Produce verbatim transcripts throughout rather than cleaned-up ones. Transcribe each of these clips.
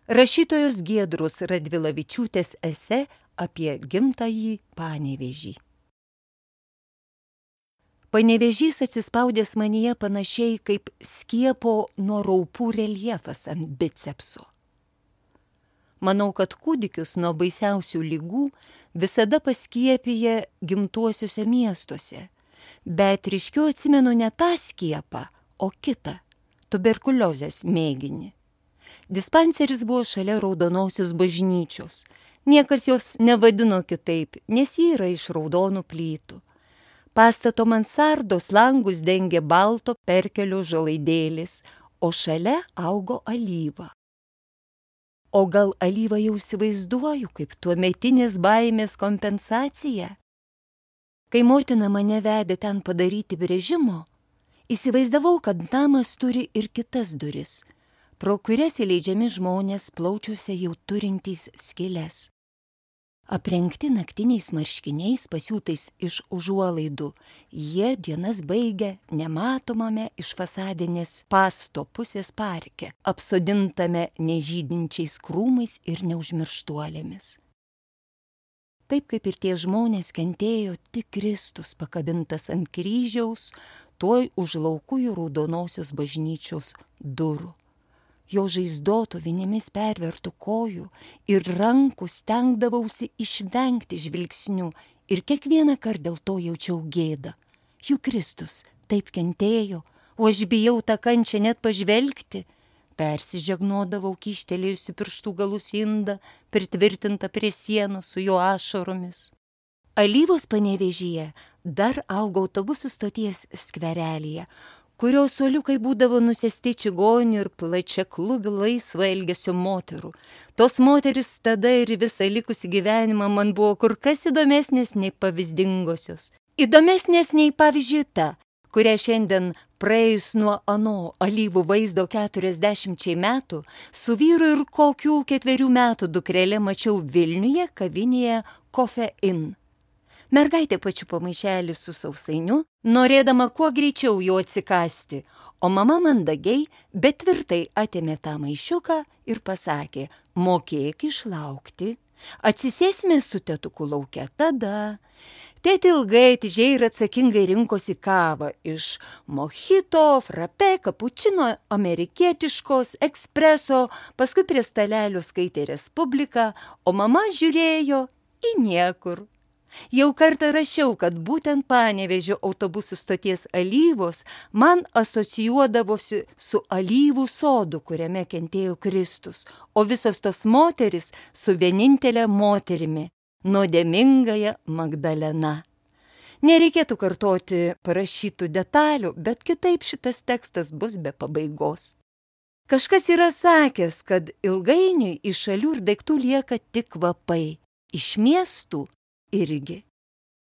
Rašytojos Giedros Radvilavičiūtės esė apie gimtąjį Panevėžį. Panevėžys atsispaudęs manyje panašiai kaip skiepo nuo raupų reljefas ant bicepso. Manau, kad kūdikius nuo baisiausių ligų visada paskiepija gimtuosiuose miestuose, bet ryškiau atsimenu ne tą skiepą, o kitą – tuberkuliozės mėginį. Dispanseris buvo šalia Raudonosios bažnyčios. Niekas jos nevadino kitaip, nes ji yra iš raudonų plytų. Pastato mansardos langus dengė balto perkelio žalaidėlis, o šalia augo alyva. O gal alyvą jau įsivaizduoju kaip tuometinės baimės kompensacija? Kai motina mane vedė ten padaryti brėžimo, įsivaizdavau, kad namas turi ir kitas duris, pro kurias įleidžiami žmonės plaučiuose jau turintys skyles. Aprengti naktiniais marškiniais pasiūtais iš užuolaidų, jie dienas baigia nematomame iš fasadinės pasto pusės parke, apsodintame nežydinčiais krūmais ir neužmirštuolėmis. Taip kaip ir tie žmonės kentėjo tik Kristus pakabintas ant kryžiaus, tuoj už laukųjų Raudonosios bažnyčios durų. Jo žaizdotų vinimis pervertų kojų ir rankų stengdavausi išvengti žvilgsnių ir kiekvieną kartą dėl to jaučiau gėdą. Juk Kristus taip kentėjo, o aš bijau tą kančią net pažvelgti. Persižegnodavau kyštelėjusi pirštų galus indą, pritvirtinta prie sienos su jo ašaromis. Alyvos Panevėžyje dar augo autobusų stoties skverelyje, kurio suoliukai būdavo nusėsti čigonių ir plačia klubių laisvo elgesio moterų. Tos moteris tada ir visą likusį gyvenimą man buvo kur kas įdomesnės nei pavyzdingosios. Įdomesnės nei pavyzdžiui ta, kurią šiandien praėjus nuo ano alyvų vaizdo keturiasdešimčiai metų, su vyru ir kokių ketverių metų dukrelė mačiau Vilniuje kavinėje Coffee Inn. Mergaitė pačiupo maišelį su sausainiu, norėdama kuo greičiau jo atsikasti, o mama mandagiai, bet tvirtai atėmė tą maišiuką ir pasakė: mokėk išlaukti, atsisėsime su tėtuku lauke tada. Tėtė ilgai, atidžiai ir atsakingai rinkosi kavą iš mojito, frappé, kapučino, amerikietiškos, ekspreso, paskui prie stalelio skaitė Respubliką, o mama žiūrėjo į niekur. Jau kartą rašiau, kad būtent Panevėžio autobusų stoties Alyvos man asocijuodavosi su alyvų sodu, kuriame kentėjo Kristus, o visos tos moteris su vienintelė moterimi – nuodėmingąja Magdalena. Nereikėtų kartoti parašytų detalių, bet kitaip šitas tekstas bus be pabaigos. Kažkas yra sakęs, kad ilgainiui iš šalių ir daiktų lieka tik kvapai, iš miestų irgi.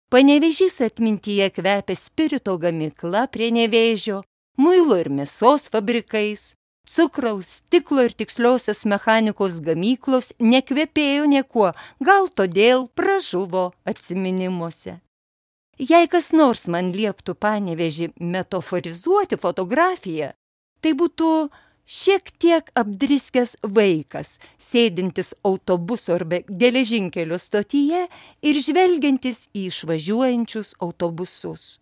Panevėžys atmintyje kvepia spirito gamykla prie Nevėžio, muilo ir mėsos fabrikais, cukraus, stiklo ir tiksliosios mechanikos gamyklos nekvepėjo niekuo, gal todėl pražuvo atsiminimuose. Jei kas nors man lieptų Panevėžį metaforizuoti fotografiją, tai būtų šiek tiek apdriskęs vaikas, sėdintis autobuso arba geležinkelio stotyje ir žvelgiantis į išvažiuojančius autobusus.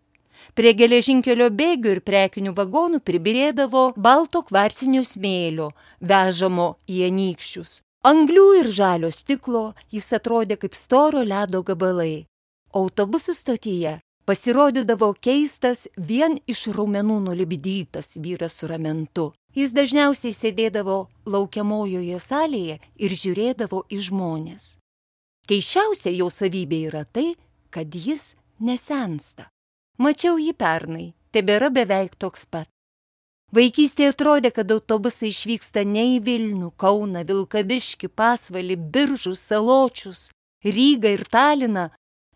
Prie geležinkelio bėgių ir prekinių vagonų pribirėdavo balto kvarcinio smėlio, vežamo į anykščius. Anglių ir žalio stiklo jis atrodė kaip storo ledo gabalai. Autobusų stotyje pasirodydavo keistas, vien iš raumenų nulipdytas vyras su ramentu. Jis dažniausiai sėdėdavo laukiamojoje salėje ir žiūrėdavo į žmones. Keisčiausia jo savybė yra tai, kad jis nesensta. Mačiau jį pernai, tebėra beveik toks pat. Vaikystėje atrodė, kad autobusai išvyksta ne į Vilnių, Kauną, Vilkaviškį, Pasvalį, Biržus, Saločius, Rygą ir Taliną,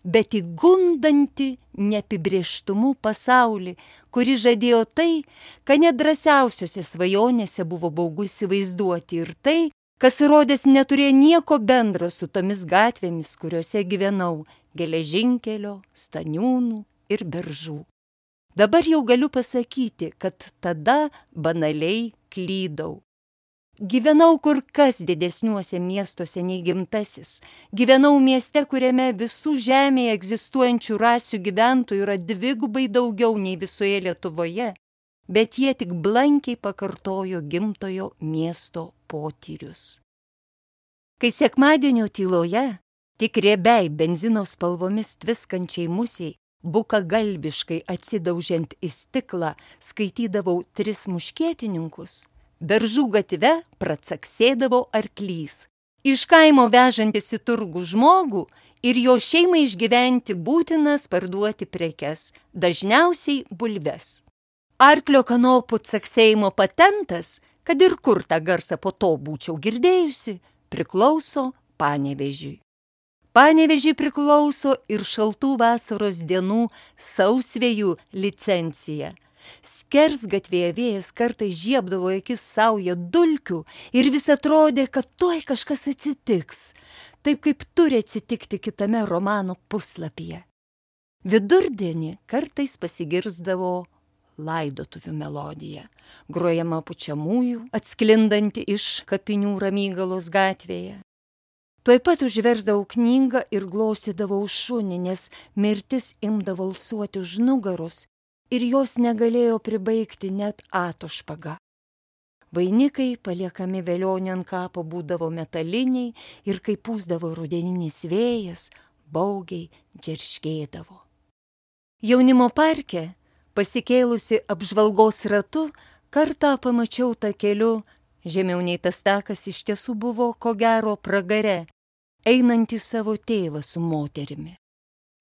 bet į gundantį neapibrėžtumų pasaulį, kuri žadėjo tai, ką net drąsiausiose svajonėse buvo baugu įsivaizduoti, ir tai, kas įrodęs neturėjo nieko bendro su tomis gatvėmis, kuriuose gyvenau, geležinkelio, Staniūnų ir Beržų. Dabar jau galiu pasakyti, kad tada banaliai klydau. Gyvenau kur kas didesniuose miestuose nei gimtasis. Gyvenau mieste, kuriame visų žemėje egzistuojančių rasių gyventojų yra dvigubai daugiau nei visoje Lietuvoje, bet jie tik blankiai pakartojo gimtojo miesto potyrius. Kai sekmadienio tyloje, tik riebiai benzino spalvomis tviskančiai musiai, bukagalbiškai atsidaužiant į stiklą, skaitydavau Tris muškietininkus, Beržų gatve pracaksėdavo arklys, iš kaimo vežantis į turgų žmogų ir jo šeimai išgyventi būtinas parduoti prekes, dažniausiai bulves. Arklio kanopų caksėjimo patentas, kad ir kur tą garsą po to būčiau girdėjusi, priklauso Panevėžiui. Panevėžiui priklauso ir šaltų vasaros dienų sausvėjų licencija. Skersgatvėje vėjas kartais žiebdavo akis sauja dulkių ir vis atrodė, kad tuoj kažkas atsitiks, taip kaip turi atsitikti kitame romano puslapyje. Vidurdienį kartais pasigirsdavo laidotuvių melodija, grojama pučiamųjų, atsklindanti iš kapinių Ramygalos gatvėje. Tuoj pat užversdavau knygą ir glaustydavau šunį, nes mirtis imdavo alsuoti už nugaros ir jos negalėjo pribaigti net atošpaga. Vainikai paliekami velionio ant kapo būdavo metaliniai ir kai pūsdavo rudeninis vėjas, baugiai džerškėdavo. Jaunimo parke, pasikėlusi apžvalgos ratu, kartą pamačiau takeliu, žemiau nei tas takas iš tiesų buvo ko gero pragare, einantį savo tėvą su moterimi.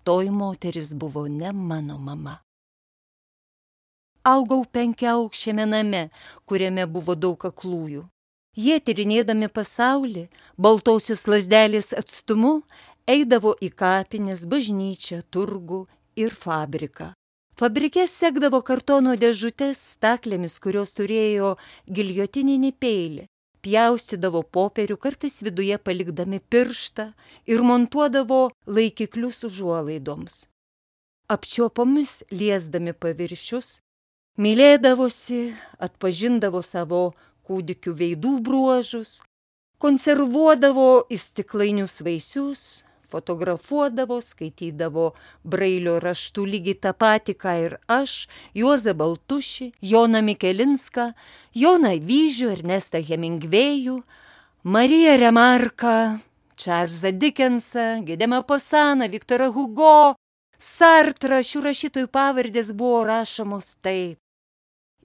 Toji moteris buvo ne mano mama. Augau penkiaaukščiame name, kuriame buvo daug aklųjų. Jie tyrinėdami pasaulį, baltosios lazdelės atstumu, eidavo į kapines, bažnyčią, turgų ir fabriką. Fabrike sekdavo kartono dėžutės staklėmis, kurios turėjo giljotininį peilį, pjaustydavo popierių, kartais viduje palikdami pirštą ir montuodavo laikiklius užuolaidoms. Apčiuopomis liesdami paviršius, mylėdavosi, atpažindavo savo kūdikių veidų bruožus, konservuodavo į stiklainius vaisius, fotografuodavo, skaitydavo brailio raštų lygiai tą patį, ką ir aš, Juozą Baltušį, Joną Mikelinską, Joną Vyžių, Ernestą Hemingvėjų, Mariją Remarką, Čarlzą Dikensą, Gedemą Posaną, Viktorą Hugo, Sartrą. Šių rašytojų pavardės buvo rašomos taip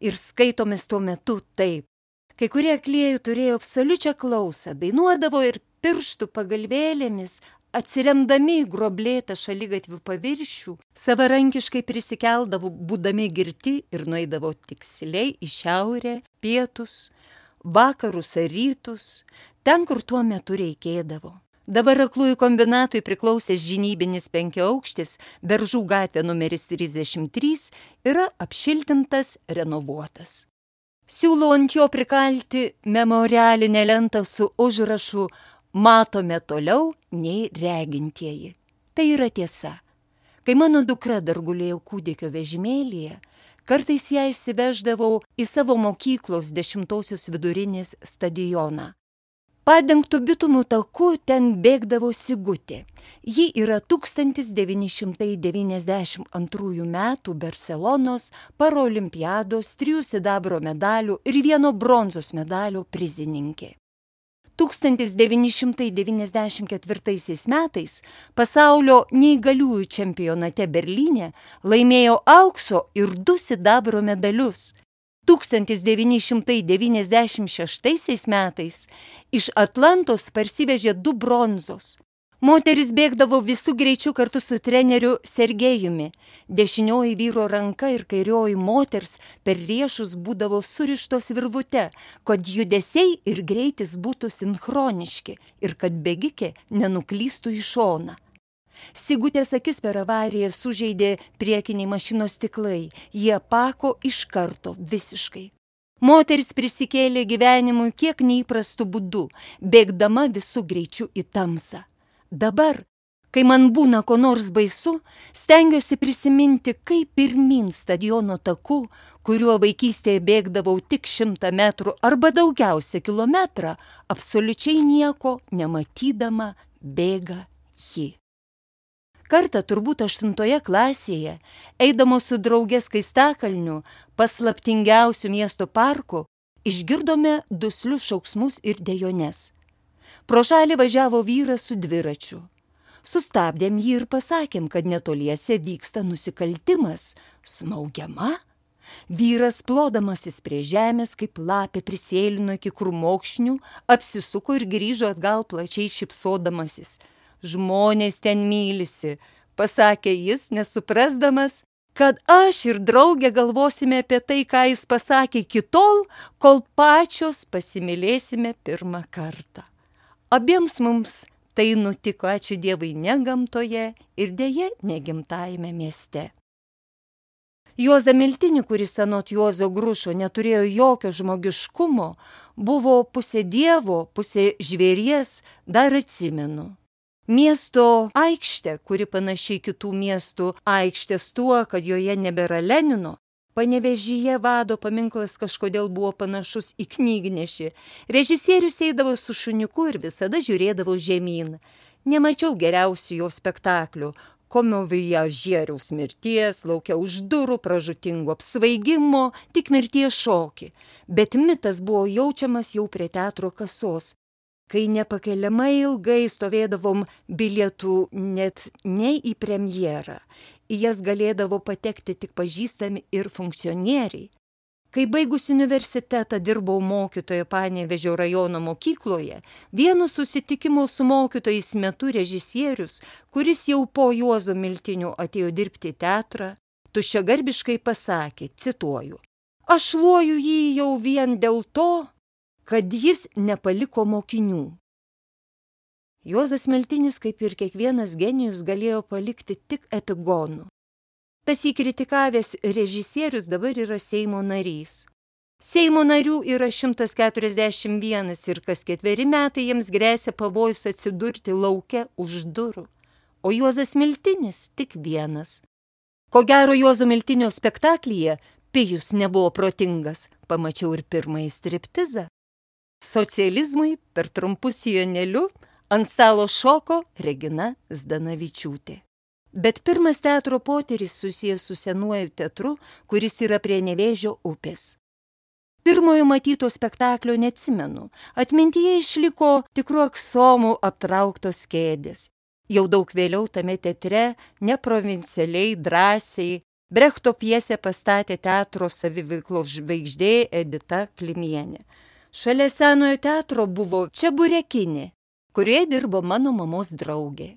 ir skaitomis tuo metu taip. Kai kurie aklieji turėjo absoliučią klausą, dainuodavo ir pirštų pagalvėlėmis, atsiremdami į groblėtą šaligatvių paviršių, savarankiškai prisikeldavo, būdami girti ir nueidavo tiksliai į šiaurę, pietus, vakarus ar rytus, ten, kur tuo metu reikėdavo. Dabar aklųjų kombinatui priklausęs žinybinis penkiaaukštis, Beržų gatvė numeris trisdešimt trys, yra apšiltintas, renovuotas. Siūlau ant jo prikalti memorialinę lentą su užrašu "Matome toliau nei regintieji". Tai yra tiesa. Kai mano dukra dar gulėjo kūdikio vežimėlyje, kartais ją išsiveždavau į savo mokyklos dešimtosios vidurinės stadioną. Padengtų bitumų taku ten bėgdavo Sigutė. Ji yra tūkstantis devyni šimtai devyniasdešimt antrųjų metų Barselonos paraolimpiados trijų sidabro medalių ir vieno bronzos medalio prizininkė. tūkstantis devyni šimtai devyniasdešimt ketvirtaisiais metais pasaulio neįgaliųjų čempionate Berlyne laimėjo aukso ir du sidabro medalius. tūkstantis devyni šimtai devyniasdešimt šeštaisiais metais iš Atlantos parsivežė du bronzos. Moteris bėgdavo visų greičių kartu su treneriu Sergejumi. Dešinioji vyro ranka ir kairioji moters per riešus būdavo surištos virvute, kad judesiai ir greitis būtų sinchroniški ir kad bėgikė nenuklystų į šoną. Sigutės akis per avariją sužeidė priekiniai mašinos stiklai, jie pako iš karto visiškai. Moteris prisikėlė gyvenimui kiek neįprastų būdų, bėgdama visų greičių į tamsą. Dabar, Kai man būna ko nors baisu, stengiuosi prisiminti, kaip pirmyn stadiono taku, kuriuo vaikystėje bėgdavau tik šimtą metrų arba daugiausia kilometrą, absoliučiai nieko nematydama bėga ji. Kartą turbūt aštuntoje klasėje, eidamos su drauge Skaistakalniu, paslaptingiausių miesto parku, išgirdome duslius šauksmus ir dejones. Pro šalį važiavo vyras su dviračiu. Sustabdėm jį ir pasakėm, kad netoliese vyksta nusikaltimas. Smaugiama? Vyras, plodamasis prie žemės, kaip lapė prisėlino iki krūmokšnių, apsisuko ir grįžo atgal plačiai šypsodamasis. Žmonės ten mylisi, pasakė jis, nesuprasdamas, kad aš ir draugė galvosime apie tai, ką jis pasakė iki tol, kol pačios pasimylėsime pirmą kartą. Abiems mums tai nutiko, ačiū Dievui, ne gamtoje ir deja negimtajame mieste. Juozą Miltinį, kuris anot Juozo Grušo neturėjo jokio žmogiškumo, buvo pusė dievo, pusė žvėries, dar atsimenu. Miesto aikštė, kuri panašiai kitų miestų aikštės tuo, kad joje nebėra Lenino, Panevėžyje vado paminklas kažkodėl buvo panašus į knygnešį. Režisierius eidavo su šuniuku ir visada žiūrėdavo žemyn. Nemačiau geriausių jo spektaklių. Komivojažieriaus mirties, laukia už durų, pražutingo apsvaigimo, tik mirties šokį. Bet mitas buvo jaučiamas jau prie teatro kasos. Kai nepakeliamai ilgai stovėdavom bilietų net ne į premjerą, į jas galėdavo patekti tik pažįstami ir funkcionieriai. Kai baigus universitetą dirbau mokytojo Panevėžio rajono mokykloje, vienu susitikimo su mokytojais metu režisierius, kuris jau po Juozo Miltinio atėjo dirbti į teatrą, tuščiagarbiškai pasakė, cituoju, aš šluoju jį jau vien dėl to, kad jis nepaliko mokinių. Juozas Miltinis, kaip ir kiekvienas genijus, galėjo palikti tik epigonų. Tas jį kritikavęs režisierius dabar yra Seimo narys. Seimo narių yra šimtas keturiasdešimt vienas ir kas ketveri metai jiems gresia pavojus atsidurti lauke už durų. O Juozas Miltinis tik vienas. Ko gero Juozo Miltinio spektaklyje Pijus nebuvo protingas, pamačiau ir pirmąjį striptizą. Socializmui per trumpus sijoneliu ant stalo šoko Regina Zdanavičiūtė. Bet pirmas teatro potyris susijęs su senuoju teatru, kuris yra prie Nevėžio upės. Pirmojo matyto spektaklio neatsimenu. Atmintyje išliko tikrų aksomų aptrauktos kėdės. Jau daug vėliau tame teatre, neprovincialiai, drąsiai, Brechto pjesę pastatė teatro saviveiklos žvaigždė Edita Klimienė. Šalia senojo teatro buvo Čeburekinė, kurioje dirbo mano mamos draugė.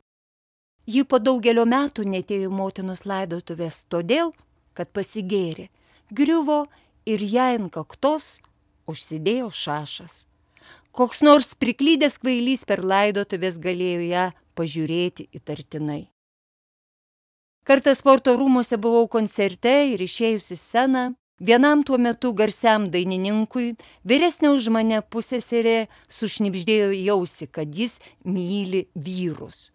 Ji po daugelio metų netėjo motinos laidotuvės todėl, kad pasigėrė, griuvo ir jai ant kaktos užsidėjo šašas. Koks nors priklydęs kvailys per laidotuvės galėjo ją pažiūrėti įtartinai. Kartą sporto rūmuose buvau koncerte ir išėjusi sceną, vienam tuo metu garsiam dainininkui, vyresnė už mane pusseserė sušnibždėjo į ausį, kad jis myli vyrus.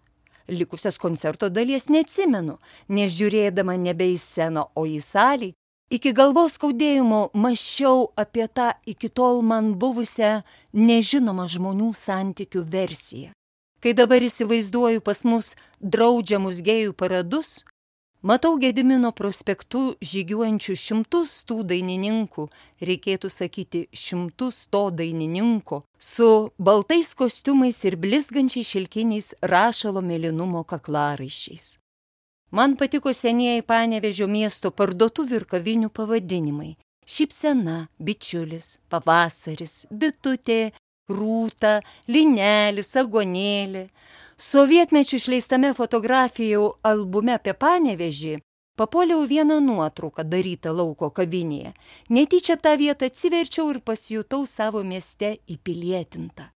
Likusios koncerto dalies neatsimenu, nes žiūrėdama nebe į sceną, o į salį, iki galvos skaudėjimo mąsčiau apie tą iki tol man buvusią nežinomą žmonių santykių versiją. Kai dabar įsivaizduoju pas mus draudžiamus gėjų paradus, matau Gedimino prospektu žygiuojančių šimtus tų dainininkų, reikėtų sakyti šimtus to dainininko, su baltais kostiumais ir blizgančiais šilkiniais rašalo mėlynumo kaklaraiščiais. Man patiko senieji Panevėžio miesto parduotuvių ir kavinių pavadinimai. Šypsena, bičiulis, pavasaris, bitutė, rūta, linelis, agonėlė. Sovietmečių išleistame fotografijų albume apie Panevėžį papuoliau vieną nuotrauką darytą lauko kavinėje. Netyčia tą vietą atsiverčiau ir pasijutau savo mieste įpilietinta.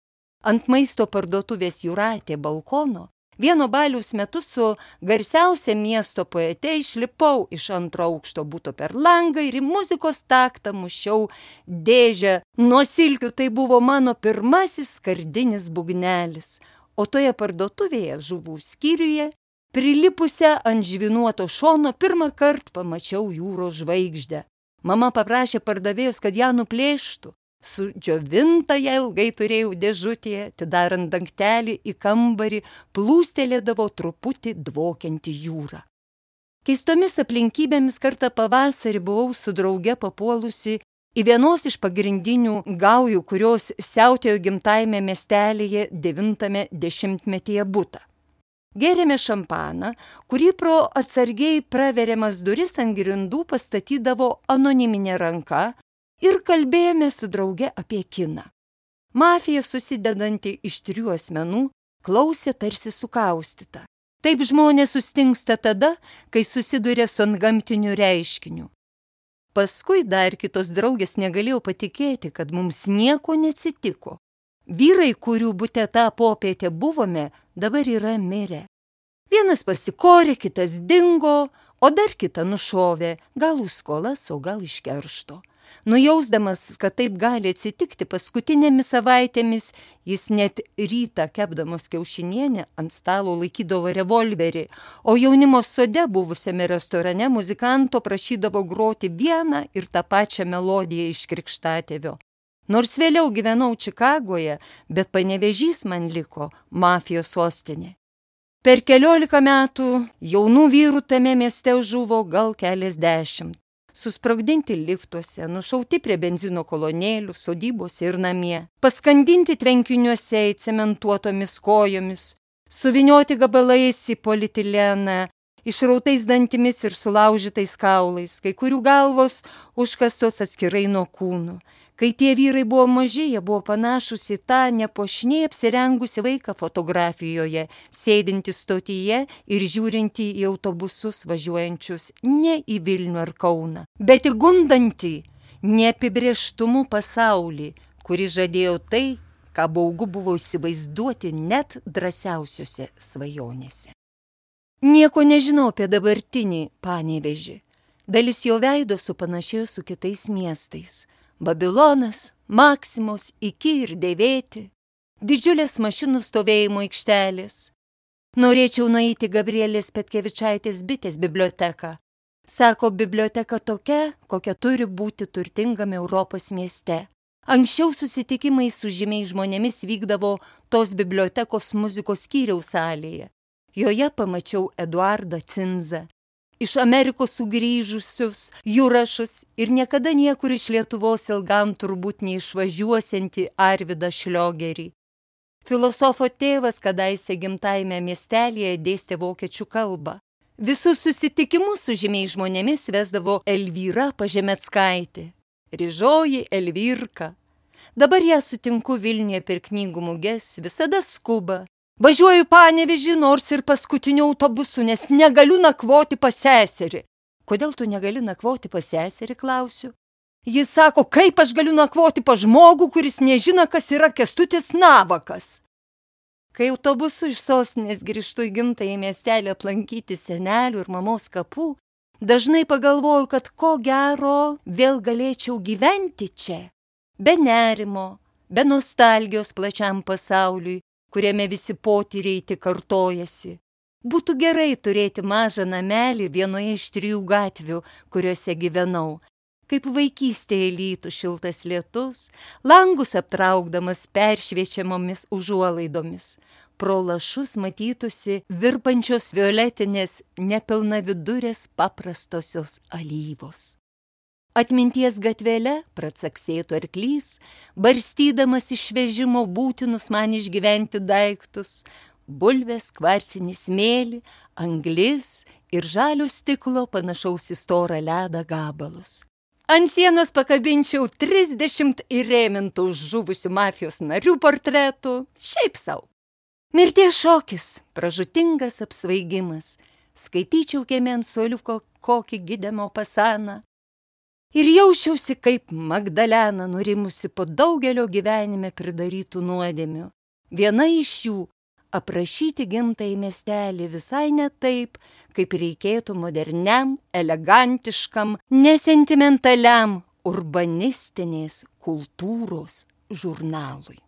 Ant maisto parduotuvės Jūratė balkono vieno baliaus metu su garsiausia miesto poete išlipau iš antro aukšto buto per langą ir į muzikos taktą mušiau dėžę. Nuo silkių tai buvo mano pirmasis skardinis būgnelis. o toje parduotuvėje žuvų skyriuje, prilipusią ant žvynuoto šono, pirmą kartą pamačiau jūros žvaigždę. Mama paprašė pardavėjus, kad ją nuplėštų. Sudžiovintą ją ilgai turėjau dėžutėje, atidarant dangtelį į kambarį, plūstelėdavo truputį dvokianti jūra. Keistomis aplinkybėmis kartą pavasarį buvau su drauge papuolusi į vienos iš pagrindinių gaujų, kurios siautėjo gimtajame miestelėje devintame dešimtmetyje butą. Gėrėme šampaną, kurį pro atsargiai praveriamas duris ant grindų pastatydavo anoniminė ranka, ir kalbėjome su drauge apie kiną. Mafija, susidedanti iš trijų asmenų, klausė tarsi sukaustyta. Taip žmonės sustingsta tada, kai susiduria su antgamtiniu reiškiniu. Paskui dar kitos draugės negalėjo patikėti, kad mums nieko neatsitiko. Vyrai, kurių bute tą popietę buvome, dabar yra mirę. Vienas pasikorė, kitas dingo, o dar kitą nušovė, gal už skolas, o gal iš keršto. Nujausdamas, kad taip gali atsitikti, paskutinėmis savaitėmis jis net rytą kepdamos kiaušinienę ant stalo laikydavo revolverį, o jaunimo sode buvusiame restorane muzikanto prašydavo groti vieną ir tą pačią melodiją iš Krikštatėvio. Nors vėliau gyvenau Čikagoje, bet Panevėžys man liko mafijos sostinė. Per keliolika metų jaunų vyrų tame mieste žuvo gal keliasdešimt. Susprogdinti liftuose, nušauti prie benzino kolonėlių, sodybose ir namie, paskandinti tvenkiniuose įcementuotomis kojomis, suvinioti gabalais į politileną, išrautais dantimis ir sulaužytais kaulais, kai kurių galvos užkastos atskirai nuo kūnų. Kai tie vyrai buvo maži, jie buvo panašus į tą nepuošniai apsirengusi vaiką fotografijoje, sėdinti stotyje ir žiūrinti į autobusus važiuojančius ne į Vilnių ar Kauną, bet į gundantį neapibrėžtumų pasaulį, kuris žadėjo tai, ką baugu buvo įsivaizduoti net drąsiausiose svajonėse. Nieko nežinau apie dabartinį Panevėžį. Dalis jo veido supanašėjo su kitais miestais. Babilonas, Maksimos, Iki ir Dėvėti, didžiulės mašinų stovėjimo aikštelės. Norėčiau nueiti Gabrielės Petkevičaitės bitės biblioteką. Sako, biblioteka tokia, kokia turi būti turtingame Europos mieste. Anksčiau susitikimai su žymiais žmonėmis vykdavo tos bibliotekos muzikos skyriaus salėje. Joje pamačiau Eduardą Cinzą, iš Amerikos sugrįžusius Jurašus ir niekada niekur iš Lietuvos ilgam turbūt neišvažiuosiantį Arvydą Šliogerį. Filosofo tėvas kadaise gimtajame miestelėje dėstė vokiečių kalbą. Visus susitikimus su žymiais žmonėmis vesdavo Elvyra Pažemeckaitė. Ryžoji Elvyrka. Dabar ją sutinku Vilniuje per knygų muges, visada skuba. Važiuoju Panevėžį nors ir paskutiniu autobusu, nes negaliu nakvoti pas seserį. Kodėl tu negali nakvoti pas seserį, klausiu. Jis sako, kaip aš galiu nakvoti pas žmogų, kuris nežino, kas yra Kęstutis Navakas. Kai autobusu iš sostinės grįžtu į gimtąjį miestelį aplankyti senelių ir mamos kapų, dažnai pagalvoju, kad ko gero vėl galėčiau gyventi čia, be nerimo, be nostalgijos plačiam pasauliui, kuriame visi potyriai tik kartojasi. Būtų gerai turėti mažą namelį vienoje iš trijų gatvių, kuriuose gyvenau. Kaip vaikystėje lytų šiltas lietus, langus aptraukdamas peršviečiamomis užuolaidomis. Pro lašus matytųsi virpančios violetinės nepilnavidurės paprastosios alyvos. Atminties gatvele pracaksėtų arklys, barstydamas iš vežimo būtinus man išgyventi daiktus, bulvės, kvarcinį smėlį, anglis ir žalio stiklo panašaus į storą ledą gabalus. Ant sienos pakabinčiau trisdešimt įrėmintų žuvusių mafijos narių portretų, šiaip sau. Mirties šokis, pražutingas apsvaigimas, skaityčiau kieme ant suoliuko kokį Gidemo pasaną. Ir jaučiausi kaip Magdalena nurimusi po daugelio gyvenime pridarytų nuodėmių. Viena iš jų – aprašyti gimtąjį miestelį visai ne taip, kaip reikėtų moderniam, elegantiškam, nesentimentaliam urbanistinės kultūros žurnalui.